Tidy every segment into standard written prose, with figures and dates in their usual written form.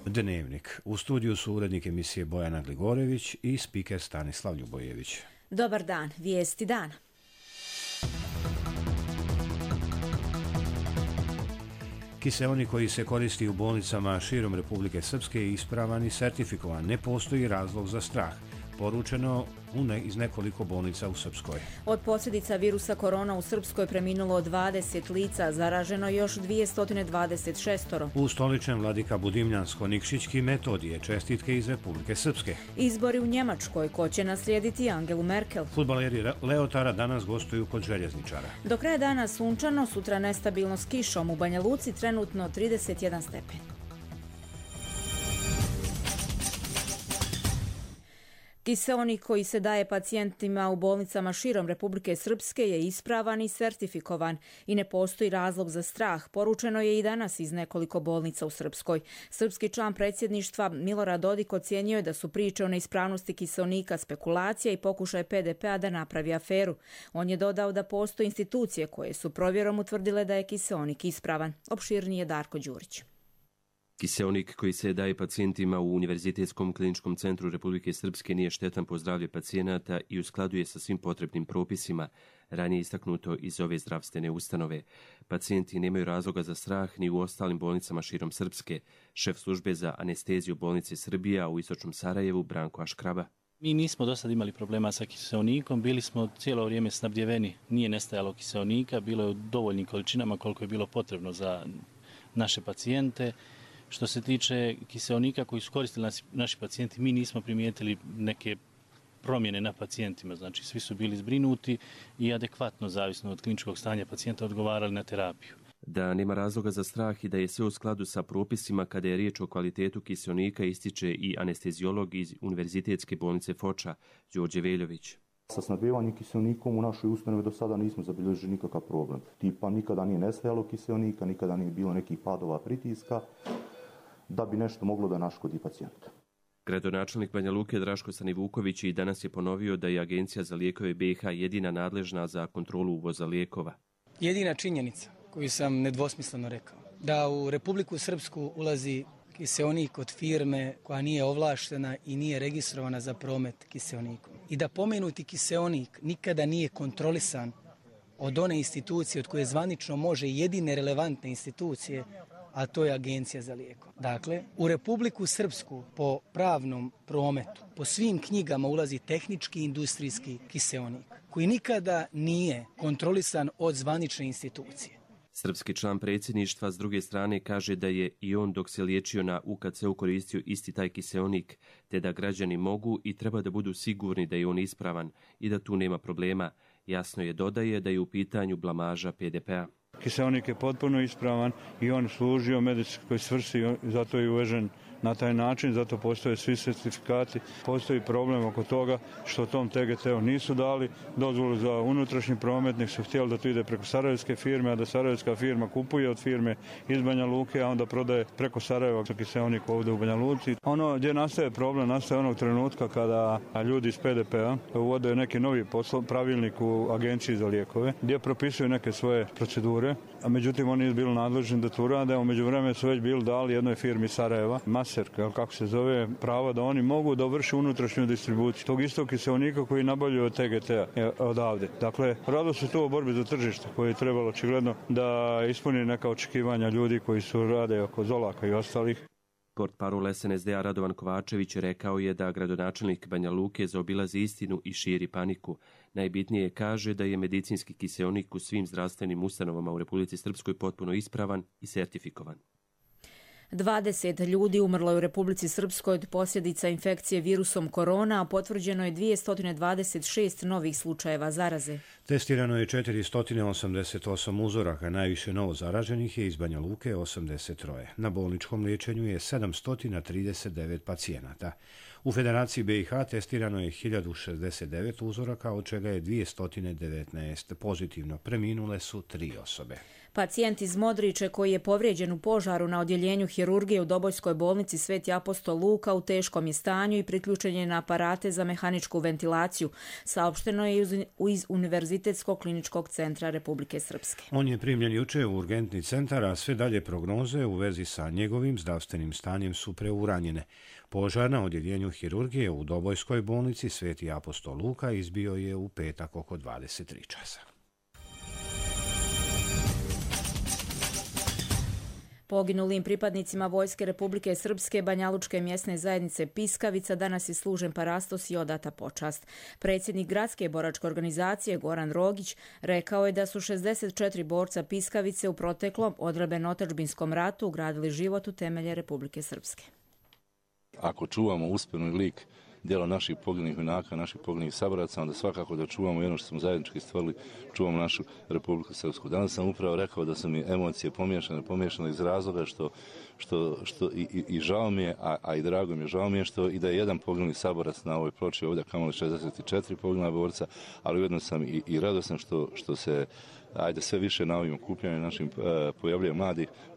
Dnevnik. U studiju su urednik emisije Bojana Gligorević i spiker Stanislav Ljubojević. Dobar dan, vijesti dana. Kiseonik koji se koristi u bolnicama širom Republike Srpske je ispravan i sertifikovan. Ne postoji razlog za strah. Poručeno iz nekoliko bolnica u Srpskoj. Od posljedica virusa korona u Srpskoj preminulo 20 lica, zaraženo još 226. U stoličnem Vladika Budimljansko-Nikšićki Metodije, čestitke iz Republike Srpske. Izbori u Njemačkoj, ko će naslijediti Angelu Merkel. Fudbaleri Leotara danas gostuju kod željezničara. Do kraja dana sunčano, sutra nestabilno s kišom. U Banja Luci trenutno 31 stepen. Kiseonik koji se daje pacijentima u bolnicama širom Republike Srpske je ispravan i sertifikovan i ne postoji razlog za strah. Poručeno je i danas iz nekoliko bolnica u Srpskoj. Srpski član predsjedništva Milorad Dodik ocijenio je da su priče o neispravnosti kiseonika spekulacija i pokušaj PDP-a da napravi aferu. On je dodao da postoje institucije koje su provjerom utvrdile da je kiseonik ispravan. Opširnije Darko Đurić. Kiseonik koji se daje pacijentima u Univerzitetskom kliničkom centru Republike Srpske nije štetan po zdravlje pacijenata i u skladu je sa svim potrebnim propisima, ranije istaknuto iz ove zdravstvene ustanove. Pacijenti nemaju razloga za strah ni u ostalim bolnicama širom Srpske. Šef službe za anesteziju bolnice Srbija u istočnom Sarajevu, Branko Aškraba. Mi nismo do sad imali problema sa kiseonikom, bili smo cijelo vrijeme snabdjeveni, nije nestajalo kiseonika, bilo je u dovoljnim količinama koliko je bilo potrebno za naše pacijente. Što se tiče kiseonika koji su koristili naši pacijenti, mi nismo primijetili neke promjene na pacijentima, znači svi su bili zbrinuti i adekvatno, zavisno od kliničkog stanja pacijenta, odgovarali na terapiju. Da nema razloga za strah i da je sve u skladu sa propisima kada je riječ o kvalitetu kiseonika ističe i anesteziolog iz Univerzitetske bolnice Foča, Đorđe Veljović. Sa snabdevanjem kiseonikom u našoj ustanovi do sada nismo zabilježili nikakav problem. Tipa nikada nije nestajalo kiseonika, nikada nije bilo nekih padova pritiska da bi nešto moglo da naškodi pacijentu. Gradonačelnik Banja Luke Draško Stanivuković i danas je ponovio da je Agencija za lijekove BiH jedina nadležna za kontrolu uvoza lijekova. Jedina činjenica koju sam nedvosmisleno rekao, da u Republiku Srpsku ulazi kiseonik od firme koja nije ovlaštena i nije registrovana za promet kiseonikom. I da pomenuti kiseonik nikada nije kontrolisan od one institucije od koje zvanično može jedine relevantne institucije, a to je Agencija za lijekove. Dakle, u Republiku Srpsku po pravnom prometu, po svim knjigama ulazi tehnički industrijski kiseonik, koji nikada nije kontrolisan od zvanične institucije. Srpski član predsjedništva s druge strane kaže da je i on dok se liječio na UKC-u koristio isti taj kiseonik, te da građani mogu i treba da budu sigurni da je on ispravan i da tu nema problema. Jasno je dodaje da je u pitanju blamaža PDP-a. Kiseonik je potpuno ispravan i on služio medicinskoj svrsi, zato je uvežen na taj način, zato postoje svi certifikati. Postoji problem oko toga što tom TGT-u nisu dali dozvolu za unutrašnji promet, nek su htjeli da to ide preko sarajevske firme, a da sarajevska firma kupuje od firme iz Banja Luke, a onda prodaje preko Sarajeva kiseonik ovdje u Banja Luci. Ono gdje nastaje problem, nastaje onog trenutka kada ljudi iz PDP-a uvode neki novi pravilnik u Agenciji za lijekove, gdje propisuju neke svoje procedure, a međutim oni nisu bili nadležni da to urade, a u međuvremenu su već bili dali jednoj firmi Sarajeva, Maserka, kako se zove, pravo da oni mogu da vrši unutrašnju distribuciju tog istog kiseonika koji nabavljaju od TGT-a odavde. Dakle, radilo se tu o borbi za tržište koje je trebalo očigledno da ispuni neka očekivanja ljudi koji su rade oko Zolaka i ostalih. Portparol SNSD-a Radovan Kovačević rekao je da gradonačelnik Banja Luke zaobilazi istinu i širi paniku. Najbitnije kaže da je medicinski kiseonik u svim zdravstvenim ustanovama u Republici Srpskoj potpuno ispravan i sertifikovan. 20 ljudi umrlo je u Republici Srpskoj od posljedica infekcije virusom korona, a potvrđeno je 226 novih slučajeva zaraze. Testirano je 488 uzoraka, najviše novo zaraženih je iz Banja Luke 83. Na bolničkom liječenju je 739 pacijenata. U Federaciji BiH testirano je 1069 uzoraka, od čega je 219 pozitivno. Preminule su 3 osobe. Pacijent iz Modriče koji je povrijeđen u požaru na odjeljenju hirurgije u Dobojskoj bolnici Sveti apostol Luka u teškom je stanju i priključen je na aparate za mehaničku ventilaciju, saopšteno je iz Univerzitetskog kliničkog centra Republike Srpske. On je primljen juče u urgentni centar, a sve dalje prognoze u vezi sa njegovim zdravstvenim stanjem su preuranjene. Požar na odjeljenju hirurgije u Dobojskoj bolnici Sveti apostol Luka izbio je u petak oko 23 časa. Poginulim pripadnicima Vojske Republike Srpske Banjalučke mjesne zajednice Piskavica danas je služen parastos i odata počast. Predsjednik gradske boračke organizacije Goran Rogić rekao je da su 64 borca Piskavice u proteklom odbrambeno-otadžbinskom ratu ugradili život u temelje Republike Srpske. Ako čuvamo uspješni lik djela naših poginulih junaka, naših poginulih saboraca, onda svakako da čuvamo i ono što smo zajednički stvorili, čuvamo našu Republiku Srpsku. Danas sam upravo rekao da su mi emocije pomiješane iz razloga što i žao mi je, a i drago mi je, žao mi je što i da je jedan poginuli saborac na ovoj ploči ovdje, kamoli 64 poginula borca, ali ujedno sam i radostan što se sve više na ovim okupljanjima našim pojavljuje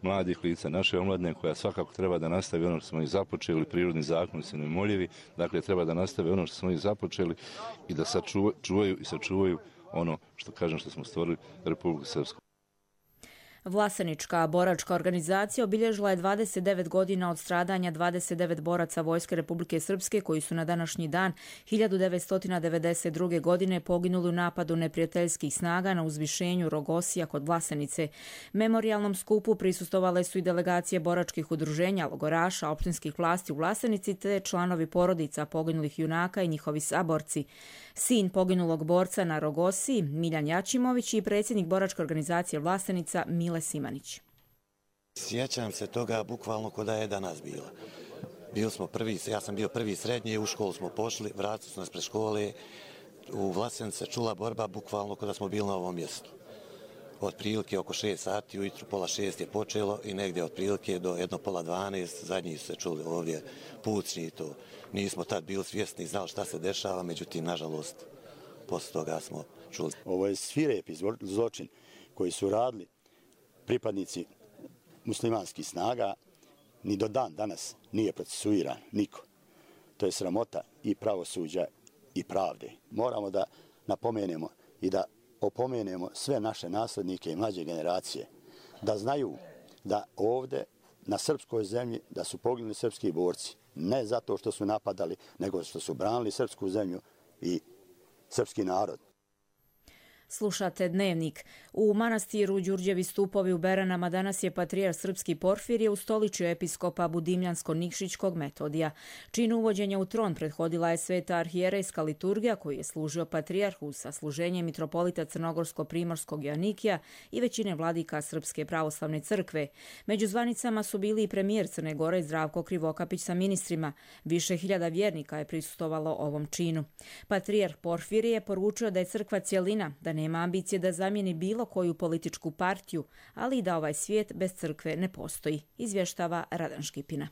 mladih lica, naše omladine koja svakako treba da nastavi ono što smo i započeli, prirodni zakoni su neumoljivi, dakle treba da nastavi ono što smo i započeli i da sačuvaju ono što smo stvorili Republiku Srpsku. Vlasenička boračka organizacija obilježila je 29 godina od stradanja 29 boraca Vojske Republike Srpske koji su na današnji dan 1992. godine poginuli u napadu neprijateljskih snaga na uzvišenju Rogosija kod Vlasenice. Memorijalnom skupu prisustvovale su i delegacije boračkih udruženja, logoraša, opštinskih vlasti u Vlasenici te članovi porodica poginulih junaka i njihovi saborci. Sin poginulog borca na Rogosiji, Miljan Jačimović, i predsjednik boračke organizacije Vlasenica Mile Simanić. Sjećam se toga bukvalno ko da je danas bila. Ja sam bio prvi srednje, u školu smo pošli, vratili smo nas pred škole, u Vlasenici čula borba bukvalno ko da smo bili na ovom mjestu. Otprilike oko 6 sati ujutru, pola 6 je počelo i negdje otprilike do 1:30 zadnji su se čuli ovdje pucnji i to. Nismo tad bili svjesni, znali šta se dešava, međutim, nažalost, posle toga smo čuli. Ovo je svirepi zločin koji su radili pripadnici muslimanskih snaga, ni do dan danas nije procesuiran niko. To je sramota i pravosuđa i pravde. Moramo da napomenemo i da opomenemo sve naše naslednike i mlađe generacije da znaju da ovdje na srpskoj zemlji da su poginuli srpski borci. Ne zato što su napadali, nego što su branili srpsku zemlju i srpski narod. Slušate Dnevnik. U manastiru Đurđevi stupovi u Beranama danas je patrijarh srpski Porfirije ustoličio episkopa Budimljansko-Nikšićkog Metodija. Činu uvođenja u tron prethodila je sveta arhijerejska liturgija koju je služio patrijarhu sa služenjem mitropolita Crnogorsko-Primorskog Joanikija i većine vladika Srpske pravoslavne crkve. Među zvanicama su bili i premijer Crne Gore Zdravko Krivokapić sa ministrima. Više hiljada vjernika je prisustvovalo ovom činu. Patrijarh Porfirije poručio da je crkva cjelina, da nema ambicije da zamijeni bilo koju političku partiju, ali i da ovaj svijet bez crkve ne postoji, izvještava Radan Škipina.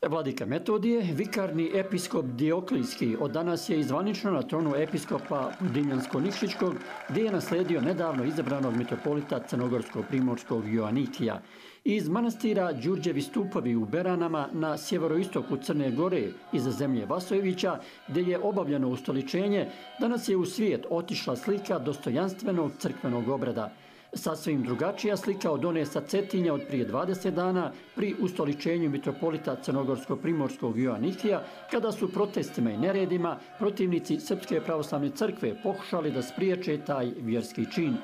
Vladika Metodije, vikarni episkop Dioklijski, od danas je zvanično na tronu episkopa Budimljansko-Nikšićkog, gdje je nasledio nedavno izabranog mitropolita Crnogorsko-Primorskog Joanikija. Iz manastira Đurđevi stupovi u Beranama na sjeveroistoku Crne Gore iza zemlje Vasojevića, gdje je obavljeno ustoličenje, danas je u svijet otišla slika dostojanstvenog crkvenog obreda. Sasvim drugačija slika od one sa Cetinja od prije 20 dana pri ustoličenju mitropolita Crnogorsko-Primorskog Joanikija, kada su protestima i neredima protivnici Srpske pravoslavne crkve pokušali da spriječe taj vjerski čin.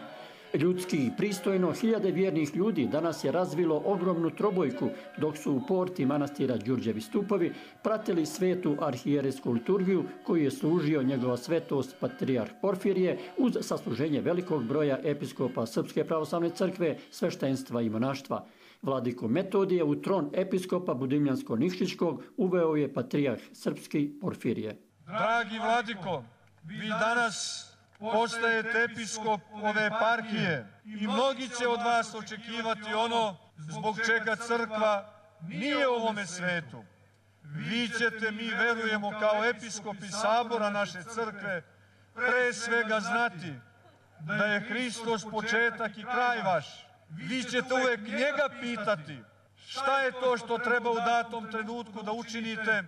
Ljudski i pristojno, hiljade vjernih ljudi danas je razvilo ogromnu trobojku, dok su u porti manastira Đurđevi stupovi pratili svetu arhijerejsku liturgiju koju je služio njegova svetost patrijarh Porfirije uz sasluženje velikog broja episkopa Srpske pravoslavne crkve, sveštenstva i monaštva. Vladiku Metodije u tron episkopa Budimljansko-Nikšićkog uveo je patrijarh srpski Porfirije. Dragi vladiko, vi danas postajete episkop ove eparhije i mnogi će od vas očekivati ono zbog čega crkva nije u ovome svetu. Vi ćete, mi verujemo, kao episkopi sabora naše crkve, pre svega znati da je Hristos početak i kraj vaš. vi ćete uvek njega pitati šta je to što treba u datom trenutku da učinite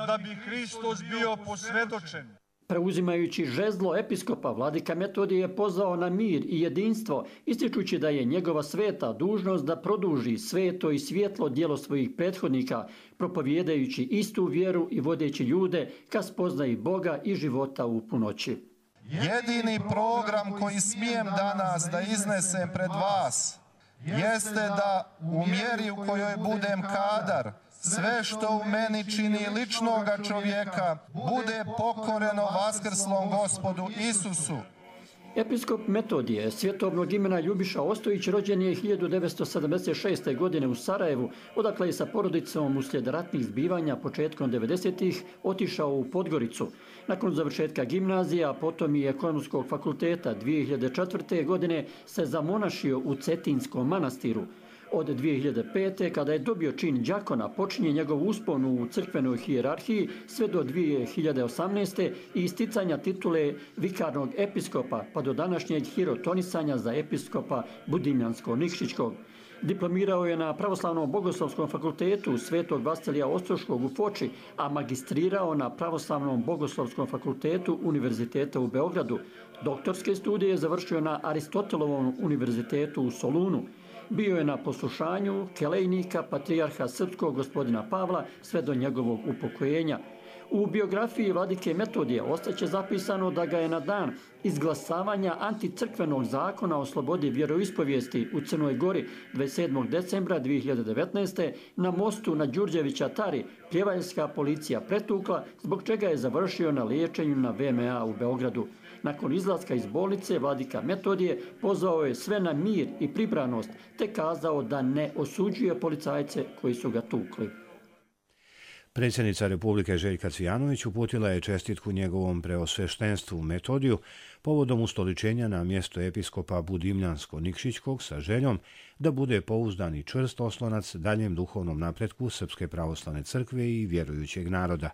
da bi Hristos bio posvjedočen. Preuzimajući žezlo episkopa, vladika Metodije je pozvao na mir i jedinstvo, ističući da je njegova sveta dužnost da produži sveto i svjetlo djelo svojih prethodnika, propovijedajući istu vjeru i vodeći ljude ka spoznaji Boga i života u punoći. Jedini program koji smijem danas da iznesem pred vas jeste da u mjeri u kojoj budem kadar, sve što u meni čini ličnoga čovjeka bude pokoreno vaskrslom Gospodu Isusu. Episkop Metodije svjetovnog imena Ljubiša Ostojić rođen je 1976. godine u Sarajevu, odakle je sa porodicom uslijed ratnih zbivanja početkom 90-ih otišao u Podgoricu. Nakon završetka gimnazija, a potom i ekonomskog fakulteta 2004. godine se zamonašio u Cetinskom manastiru. Od 2005. kada je dobio čin đakona, počinje njegov uspon u crkvenoj hijerarhiji sve do 2018. i isticanja titule vikarnog episkopa pa do današnjeg hirotonisanja za episkopa Budimljansko-Nikšićkog. Diplomirao je na Pravoslavnom bogoslovskom fakultetu Svetog Vasilija Ostroškog u Foči, a magistrirao na Pravoslavnom bogoslovskom fakultetu Univerziteta u Beogradu. Doktorske studije je završio na Aristotelovom univerzitetu u Solunu. Bio je na poslušanju kelejnika patrijarha srpskog gospodina Pavla sve do njegovog upokojenja. U biografiji vladike Metodije ostaće zapisano da ga je na dan izglasavanja anticrkvenog zakona o slobodi vjeroispovijesti u Crnoj Gori 27. decembra 2019. na mostu na Đurđevića Tari pljevaljska policija pretukla, zbog čega je završio na liječenju na VMA u Beogradu. Nakon izlaska iz bolnice, vladika Metodije pozvao je sve na mir i pribranost, te kazao da ne osuđuje policajce koji su ga tukli. Predsjednica Republike Željka Cvijanović uputila je čestitku njegovom preosveštenstvu Metodiju povodom ustoličenja na mjesto episkopa Budimljansko-Nikšićkog sa željom da bude pouzdan i čvrst oslonac daljem duhovnom napretku Srpske pravoslavne crkve i vjerujućeg naroda.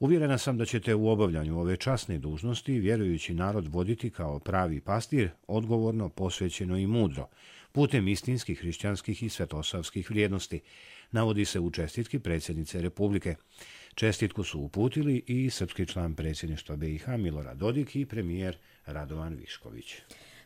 Uvjerena sam da ćete u obavljanju ove časne dužnosti vjerujući narod voditi kao pravi pastir, odgovorno, posvećeno i mudro, putem istinskih hrišćanskih i svetosavskih vrijednosti, navodi se u čestitki predsjednice Republike. Čestitku su uputili i srpski član predsjedništva BiH Milorad Dodik i premijer Radovan Višković.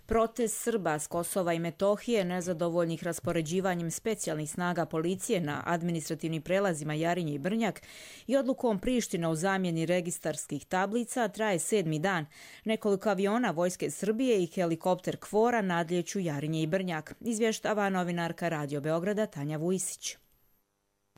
Protest Srba s Kosova i Metohije, nezadovoljnih raspoređivanjem specijalnih snaga policije na administrativnim prelazima Jarinje i Brnjak i odlukom Priština u zamjeni registarskih tablica traje 7. dan. Nekoliko aviona Vojske Srbije i helikopter KFOR-a nadlijeću Jarinje i Brnjak, izvještava novinarka Radio Beograda Tanja Vujsić.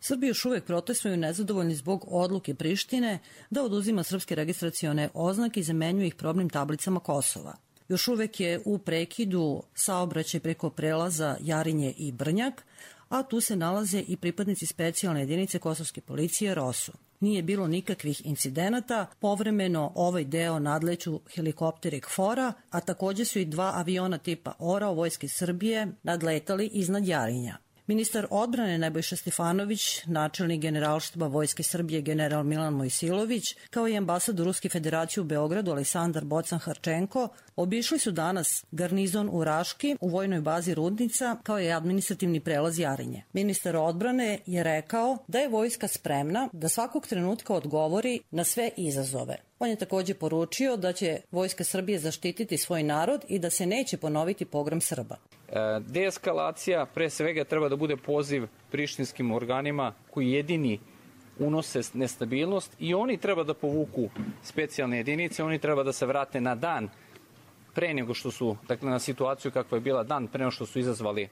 Srbi još uvijek protestuju nezadovoljni zbog odluke Prištine da oduzima srpske registracione oznake i zamenjuje ih probnim tablicama Kosova. Još uvijek je u prekidu saobraćaj preko prelaza Jarinje i Brnjak, a tu se nalaze i pripadnici specijalne jedinice kosovske policije ROSU. Nije bilo nikakvih incidenata, povremeno ovaj deo nadleću helikopteri KFOR-a, a također su i 2 aviona tipa ORA Vojske Srbije nadletali iznad Jarinja. Ministar odbrane Nebojša Stefanović, načelnik Generalštaba Vojske Srbije general Milan Mojsilović, kao i ambasador Ruske federacije u Beogradu Aleksandar Bocan-Harčenko, obišli su danas garnizon u Raški u vojnoj bazi Rudnica, kao i administrativni prelaz Jarinje. Ministar odbrane je rekao da je vojska spremna da svakog trenutka odgovori na sve izazove. On je također poručio da će Vojska Srbije zaštititi svoj narod i da se neće ponoviti pogrom Srba. Deeskalacija pre svega treba da bude poziv prištinskim organima koji jedini unose nestabilnost i oni treba da povuku specijalne jedinice, oni treba da se vrate na dan pre nego što su, dakle na situaciju kakva je bila dan pre nego što su izazvali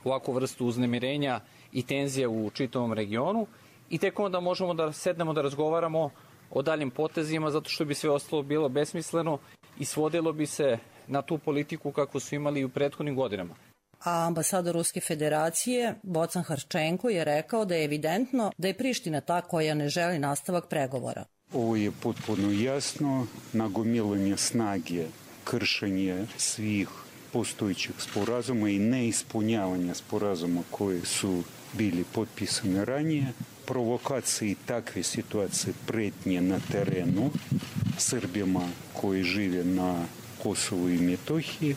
ovakvu vrstu uznemirenja i tenzije u čitavom regionu i tek onda možemo da sednemo da razgovaramo o daljim potezima, zato što bi sve ostalo bilo besmisleno i svodilo bi se na tu politiku kako su imali i u prethodnim godinama. A ambasador Ruske federacije Bocan-Harčenko je rekao da je evidentno da je Priština ta koja ne želi nastavak pregovora. Ovo je potpuno jasno, nagomilanje snage, kršenje svih postojećih sporazuma i neispunjavanje sporazuma koji su bili potpisani ranije, provokacije i takve situacije pretnje na terenu Srbima koji žive na Kosovu i Metohiji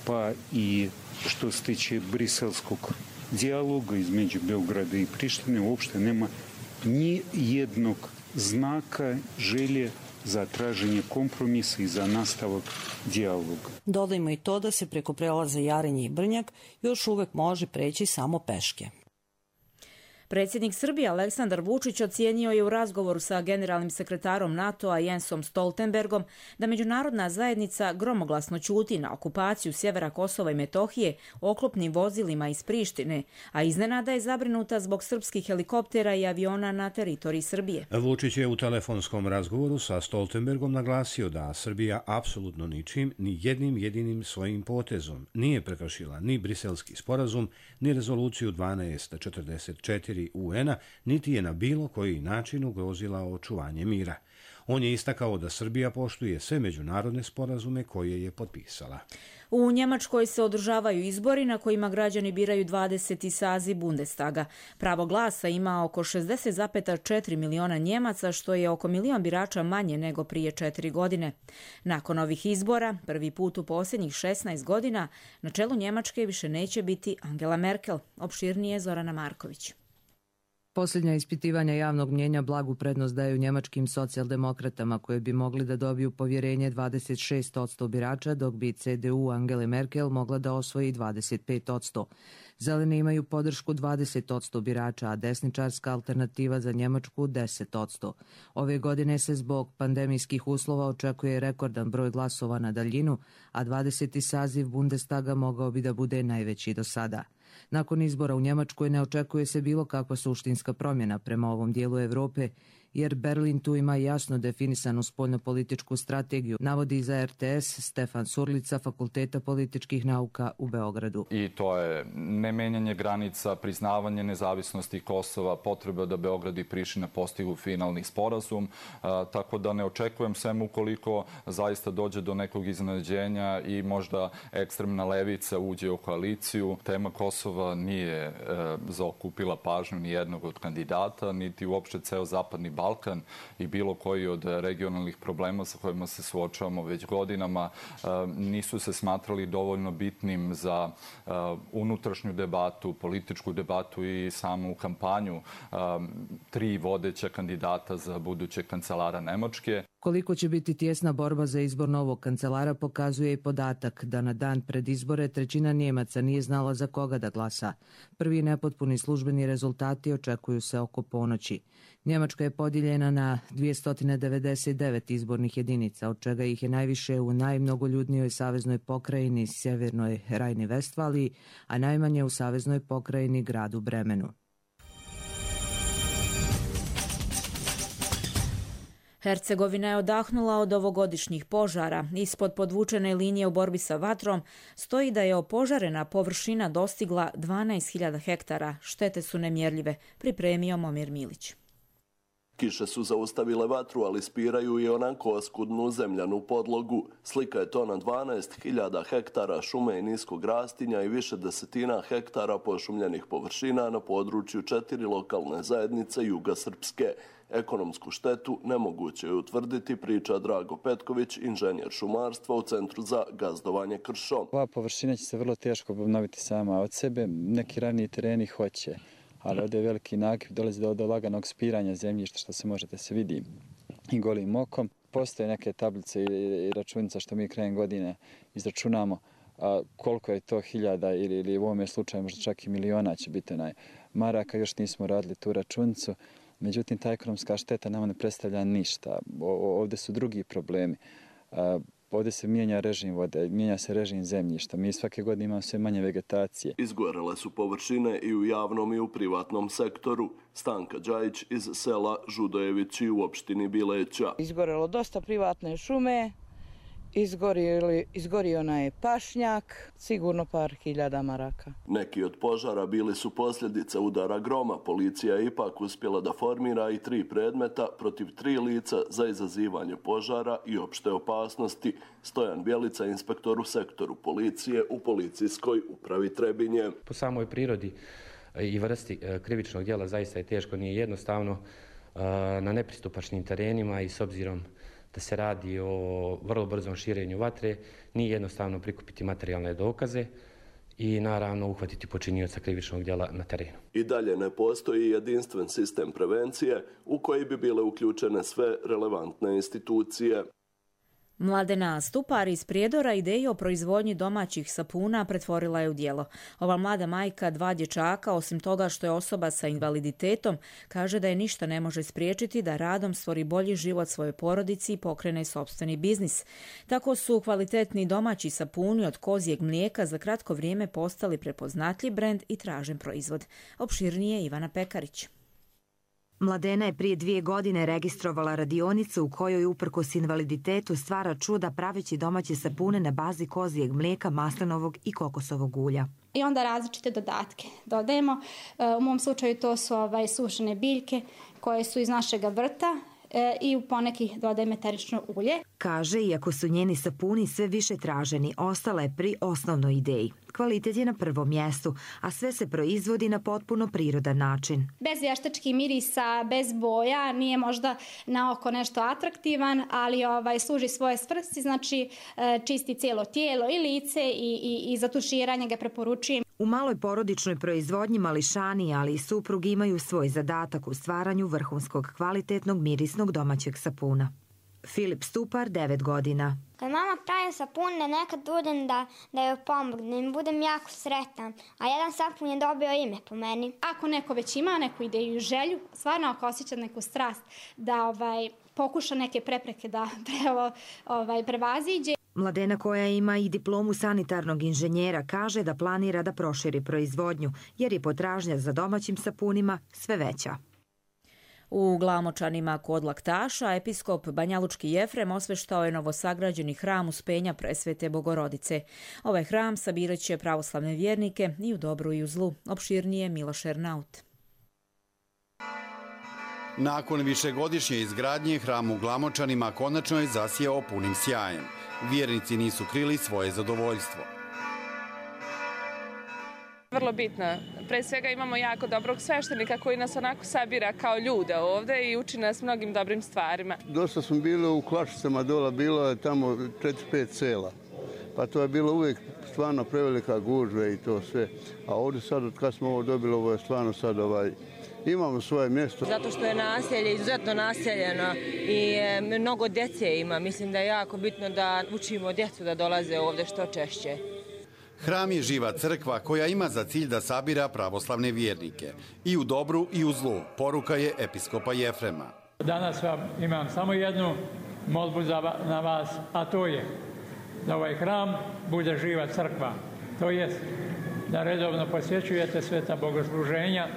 pa i što se tiče briselskog dijaloga između Beograda i Prištine, uopšte nema ni jednog znaka želje za traženje kompromisa i za nastavak dijaloga. Dodajmo i to da se preko prelaza Jarinje i Brnjak još uvek može preći samo peške. Predsjednik Srbije Aleksandar Vučić ocijenio je u razgovoru sa generalnim sekretarom NATO-a Jensom Stoltenbergom da međunarodna zajednica gromoglasno ćuti na okupaciju sjevera Kosova i Metohije oklopnim vozilima iz Prištine, a iznenada je zabrinuta zbog srpskih helikoptera i aviona na teritoriji Srbije. Vučić je u telefonskom razgovoru sa Stoltenbergom naglasio da Srbija apsolutno ničim, ni jednim jedinim svojim potezom nije prekršila ni Briselski sporazum, ni rezoluciju 1244 UN-a, niti je na bilo koji način ugrozila očuvanje mira. On je istakao da Srbija poštuje sve međunarodne sporazume koje je potpisala. U Njemačkoj se održavaju izbori na kojima građani biraju 20. saziv Bundestaga. Pravo glasa ima oko 60,4 miliona Njemaca, što je oko milion birača manje nego prije 4 godine. Nakon ovih izbora, prvi put u posljednjih 16 godina, na čelu Njemačke više neće biti Angela Merkel. Opširnije Zorana Marković. Posljednja ispitivanja javnog mnjenja blagu prednost daju njemačkim socijaldemokratama koje bi mogli da dobiju povjerenje 26% birača, dok bi CDU Angele Merkel mogla da osvoji 25%. Zeleni imaju podršku 20% birača, a desničarska alternativa za Njemačku 10%. Ove godine se zbog pandemijskih uslova očekuje rekordan broj glasova na daljinu, a 20. saziv Bundestaga mogao bi da bude najveći do sada. Nakon izbora u Njemačkoj ne očekuje se bilo kakva suštinska promjena prema ovom dijelu Evrope, jer Berlin tu ima jasno definisanu spoljnopolitičku strategiju, navodi za RTS Stefan Surlica, Fakulteta političkih nauka u Beogradu. I to je nemenjanje granica, priznavanje nezavisnosti Kosova, potreba da Beograd i Priština postignu finalni sporazum, tako da ne očekujem sem ukoliko zaista dođe do nekog iznenađenja i možda ekstremna levica uđe u koaliciju. Tema Kosova nije zaokupila pažnju ni jednog od kandidata, niti uopšte ceo zapadni Balkan i bilo koji od regionalnih problema sa kojima se suočavamo već godinama nisu se smatrali dovoljno bitnim za unutrašnju debatu, političku debatu i samu kampanju tri vodeća kandidata za budućeg kancelara Nemačke. Koliko će biti tjesna borba za izbor novog kancelara pokazuje i podatak da na dan pred izbore trećina Njemaca nije znala za koga da glasa. Prvi nepotpuni službeni rezultati očekuju se oko ponoći. Njemačka je podijeljena na 299 izbornih jedinica, od čega ih je najviše u najmnogoljudnijoj saveznoj pokrajini Sjevernoj Rajni-Vestfaliji, a najmanje u saveznoj pokrajini gradu Bremenu. Hercegovina je odahnula od ovogodišnjih požara. Ispod podvučene linije u borbi sa vatrom stoji da je opožarena površina dostigla 12.000 hektara. Štete su nemjerljive, pripremio Momir Milić. Kiše su zaustavile vatru, ali spiraju i onako oskudnu zemljanu podlogu. Slika je to na 12.000 hektara šume i niskog rastinja i više desetina hektara pošumljenih površina na području 4 lokalne zajednice juga Srpske. Ekonomsku štetu nemoguće je utvrditi, priča Drago Petković, inženjer šumarstva u Centru za gazdovanje kršom. Ova površina će se vrlo teško obnoviti sama od sebe. Neki ravni tereni hoće, ali ovdje je veliki nakip, dolazi do laganog spiranja zemljišta, što se možete se vidi i golim okom. Postoje neke tablice i računica što mi krajem godine izračunamo koliko je to hiljada ili u ovome slučaju možda čak i miliona će biti maraka. Još nismo radili tu računicu. Međutim, ta ekonomska šteta nama ne predstavlja ništa. Ovdje su drugi problemi. Ovdje se mijenja režim vode, mijenja se režim zemljišta. Mi svake godine imamo sve manje vegetacije. Izgorele su površine i u javnom i u privatnom sektoru. Stanka Đajić iz sela Žudojevići u opštini Bileća. Izgorelo dosta privatne šume. Izgorio je pašnjak, sigurno par hiljada maraka. Neki od požara bili su posljedica udara groma. Policija je ipak uspjela da formira i 3 predmeta protiv 3 lica za izazivanje požara i opšte opasnosti. Stojan Bjelica, inspektor u sektoru policije u policijskoj upravi Trebinje. Po samoj prirodi i vrsti krivičnog djela zaista je teško, nije jednostavno na nepristupačnim terenima i s obzirom da se radi o vrlo brzom širenju vatre, nije jednostavno prikupiti materijalne dokaze i naravno uhvatiti počinioca krivičnog djela na terenu. I dalje ne postoji jedinstven sistem prevencije u koji bi bile uključene sve relevantne institucije. Mladena Stupar iz Prijedora ideju o proizvodnji domaćih sapuna pretvorila je u djelo. Ova mlada majka 2 dječaka, osim toga što je osoba sa invaliditetom, kaže da je ništa ne može spriječiti da radom stvori bolji život svojoj porodici i pokrene sopstveni biznis. Tako su kvalitetni domaći sapuni od kozjeg mlijeka za kratko vrijeme postali prepoznatljiv brend i tražen proizvod. Opširnije Ivana Pekarić. Mladena je prije 2 godine registrovala radionicu u kojoj uprkos invaliditetu stvara čuda praveći domaće sapune na bazi kozijeg mlijeka, maslinovog i kokosovog ulja. I onda različite dodatke dodajemo. U mom slučaju to su sušene biljke koje su iz našega vrta i u poneki dodajem eterično ulje. Kaže, iako su njeni sapuni sve više traženi, ostala je pri osnovnoj ideji. Kvalitet je na prvom mjestu, a sve se proizvodi na potpuno prirodan način. Bez vještačkih mirisa, bez boja, nije možda na oko nešto atraktivan, ali služi svoje svrsi, znači čisti cijelo tijelo i lice i za tuširanje ga preporučujem. U maloj porodičnoj proizvodnji mališani, ali i suprug imaju svoj zadatak u stvaranju vrhunskog kvalitetnog mirisnog domaćeg sapuna. Filip Stupar, 9 godina. Kad mama pravi sapune, nekad budem da joj pomognem, budem jako sretan, a jedan sapun je dobio ime po meni. Ako neko već ima neku ideju i želju, stvarno ako osjeća neku strast da pokuša neke prepreke da prevaziđe. Mladena, koja ima i diplomu sanitarnog inženjera, kaže da planira da proširi proizvodnju, jer je potražnja za domaćim sapunima sve veća. U Glamočanima kod Laktaša episkop Banjalučki Jefrem osveštao je novosagrađeni hram Uspenja Presvete Bogorodice. Ovaj hram sabirat će pravoslavne vjernike i u dobru i u zlu. Opširnije Miloš Ernaut. Nakon višegodišnje izgradnje, hram u Glamočanima konačno je zasijao punim sjajem. Vjernici nisu krili svoje zadovoljstvo. Vrlo bitno. Pre svega imamo jako dobrog sveštenika koji nas onako sabira kao ljude ovde i uči nas mnogim dobrim stvarima. Dosta smo bili u Klašicama dola, bilo je tamo 4-5 sela. Pa to je bilo uvijek stvarno prevelika gužva i to sve. A ovdje sad, od kad smo ovo dobili, ovo je stvarno sad imamo svoje mjesto. Zato što je naselje izuzetno naseljeno i mnogo djece ima. Mislim da je jako bitno da učimo djecu da dolaze ovdje što češće. Hram je živa crkva koja ima za cilj da sabira pravoslavne vjernike. I u dobru i u zlu, poruka je episkopa Jefrema. Danas vam imam samo jednu molbu na vas, a to je da ovaj hram bude živa crkva. To jest da redovno posjećujete sveta bogosluženja,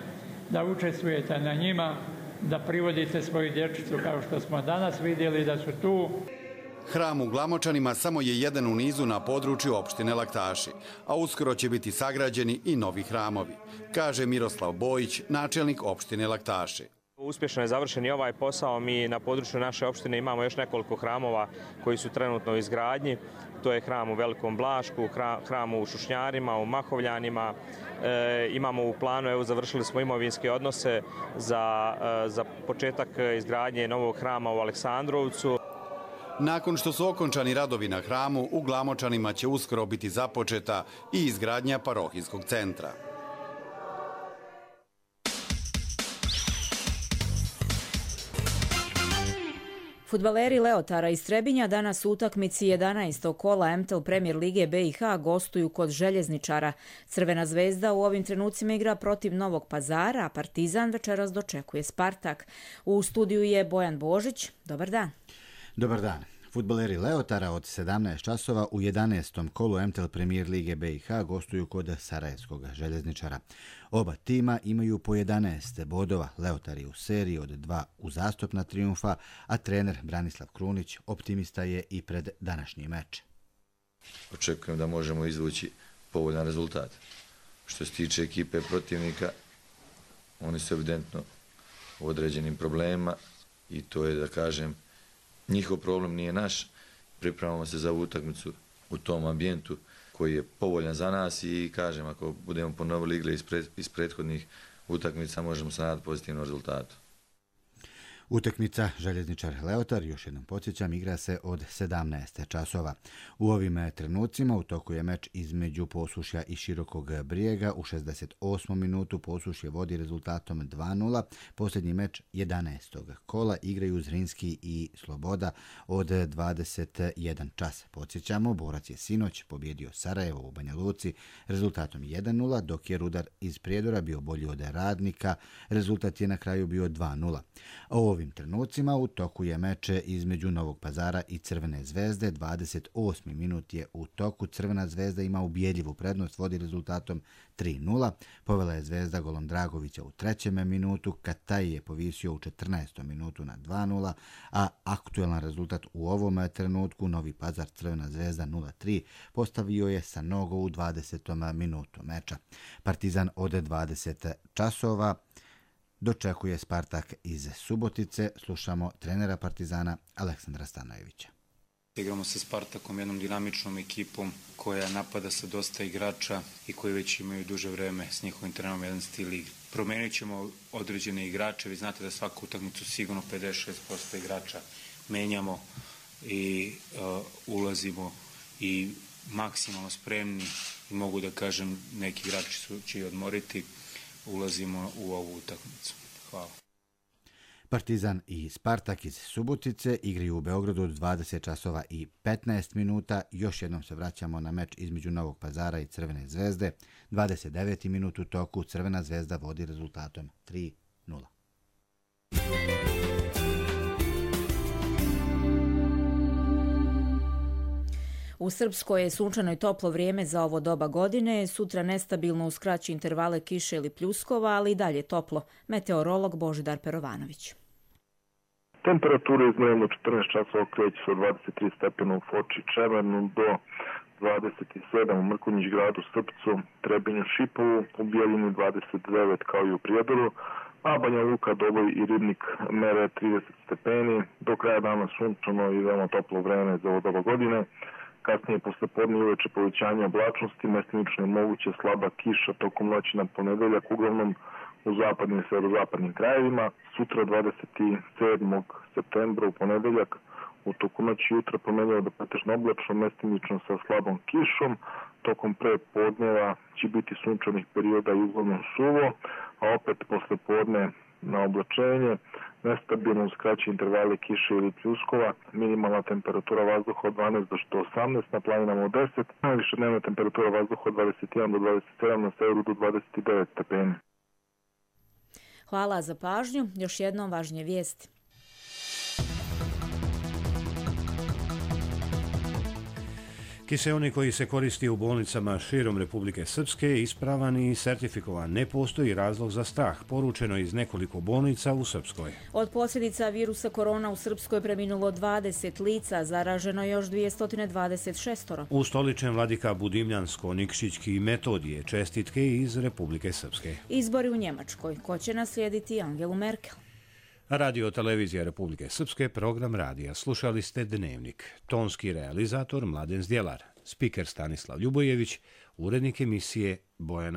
da učestvujete na njima, da privodite svoju dječicu kao što smo danas vidjeli da su tu. Hram u Glamočanima samo je jedan u nizu na području opštine Laktaši, a uskoro će biti sagrađeni i novi hramovi, kaže Miroslav Bojić, načelnik opštine Laktaši. Uspješno je završen i ovaj posao. Mi na području naše opštine imamo još nekoliko hramova koji su trenutno u izgradnji. To je hram u Velikom Blašku, hram u Šušnjarima, u Mahovljanima. Imamo u planu, završili smo imovinske odnose za početak izgradnje novog hrama u Aleksandrovcu. Nakon što su okončani radovi na hramu, u Glamočanima će uskoro biti započeta i izgradnja parohijskog centra. Fudbaleri Leotara iz Trebinja danas u utakmici 11. kola MTL Premier Lige BiH gostuju kod Željezničara. Crvena zvezda u ovim trenucima igra protiv Novog Pazara, a Partizan večeras dočekuje Spartak. U studiju je Bojan Božić. Dobar dan. Dobar dan. Fudbaleri Leotara od 17 časova u 11. kolu MTL Premier Lige BiH gostuju kod Sarajevskog Željezničara. Oba tima imaju po 11 bodova. Leotari u seriji od 2 uzastopna trijumfa, a trener Branislav Krunić optimista je i pred današnji meč. Očekujem da možemo izvući povoljan rezultat. Što se tiče ekipe protivnika, oni su evidentno u određenim problemima i to je, da kažem, njihov problem, nije naš. Pripremamo se za utakmicu u tom ambijentu koji je povoljan za nas i kažem, ako budemo ponovili igre iz prethodnih utakmica, možemo se nadati pozitivnom rezultatu. Utakmica Željezničar Leotar, još jednom podsjećam, igra se od 17 časova. U ovim trenucima u toku je meč između Posušja i Širokog Brijega. U 68. minutu Posušje vodi rezultatom 2:0. Posljednji meč 11. kola igraju Zrinski i Sloboda od 21 čas. Podsjećamo, Borac je sinoć pobjedio Sarajevo u Banja Luci rezultatom 1:0, dok je Rudar iz Prijedora bio bolji od Radnika. Rezultat je na kraju bio 2:0. U ovim trenucima u toku je meč između Novog Pazara i Crvene Zvezde. 28. minut je u toku. Crvena Zvezda ima ubjedljivu prednost, vodi rezultatom 3:0. Povela je Zvezda golom Dragovića u 3. minutu. Kataj je povisio u 14. minutu na 2:0, a aktualan rezultat u ovom trenutku Novi Pazar Crvena Zvezda 0:3 postavio je sa nogu u 20. minutu meča. Partizan od 20 časova dočekuje Spartak iz Subotice. Slušamo trenera Partizana Aleksandra Stanojevića. Igramo sa Spartakom, jednom dinamičnom ekipom koja napada sa dosta igrača i koji već imaju duže vreme s njihovim trenerom jedan stil igre. Promenit ćemo određene igrače, vi znate da svaku utakmicu sigurno 56% igrača menjamo i ulazimo i maksimalno spremni i mogu da kažem neki igrači će i odmoriti. Ulazimo u ovu utakmicu. Hvala. Partizan i Spartak iz Subotice igraju u Beogradu od 20 časova i 15 minuta. Još jednom se vraćamo na meč između Novog Pazara i Crvene Zvezde. 29. minut u toku. Crvena Zvezda vodi rezultatom 3:0. U Srpskoj je sunčano i toplo vrijeme za ovo doba godine, sutra nestabilno uz kraće intervale kiše ili pljuskova, ali i dalje toplo. Meteorolog Božidar Perovanović. Temperatura iz dnevno 14 časova kreće se od 23 stepena u Foči Čemernu do 27 u Mrkonjić gradu, Srpcu, Trebinju, Šipovu, u Bijeljini 29 kao i u Prijedoru, a Banja Luka, Doboj i Ribnik mere 30 stepeni. Do kraja dana sunčano i veoma toplo vreme za ovo doba godine. Kasnije posle podne i uveče povećanje oblačnosti, mestimično je moguće slaba kiša tokom noći na ponedeljak, uglavnom u zapadnim i severozapadnim krajevima. Sutra 27. septembra u ponedeljak u toku noći jutra promenljivo do pretežno oblačno, mestimično sa slabom kišom. Tokom prepodneva će biti sunčanih perioda i uglavnom suvo, a opet posle podne na oblačenje, nestabilno uz kraće intervale kiše ili pljuskova, minimalna temperatura vazduha od 12 do 18, na planinama od 10, najviša dnevna temperatura vazduha od 21 do 27, na severu do 29 stepeni. Hvala za pažnju. Još jednom važnije vijesti. Kiseonik koji se koristi u bolnicama širom Republike Srpske je ispravan i sertifikovan. Ne postoji razlog za strah, poručeno iz nekoliko bolnica u Srpskoj. Od posljedica virusa korona u Srpskoj preminulo 20 lica, zaraženo još 226. Ustoličen vladika Budimljansko-Nikšićki Metodije, čestitke iz Republike Srpske. Izbori u Njemačkoj. Ko će naslijediti Angelu Merkel? Radio Televizija Republike Srpske, program radija. Slušali ste Dnevnik. Tonski realizator Mladen Zdjelar, spiker Stanislav Ljubojević, urednik emisije Bojana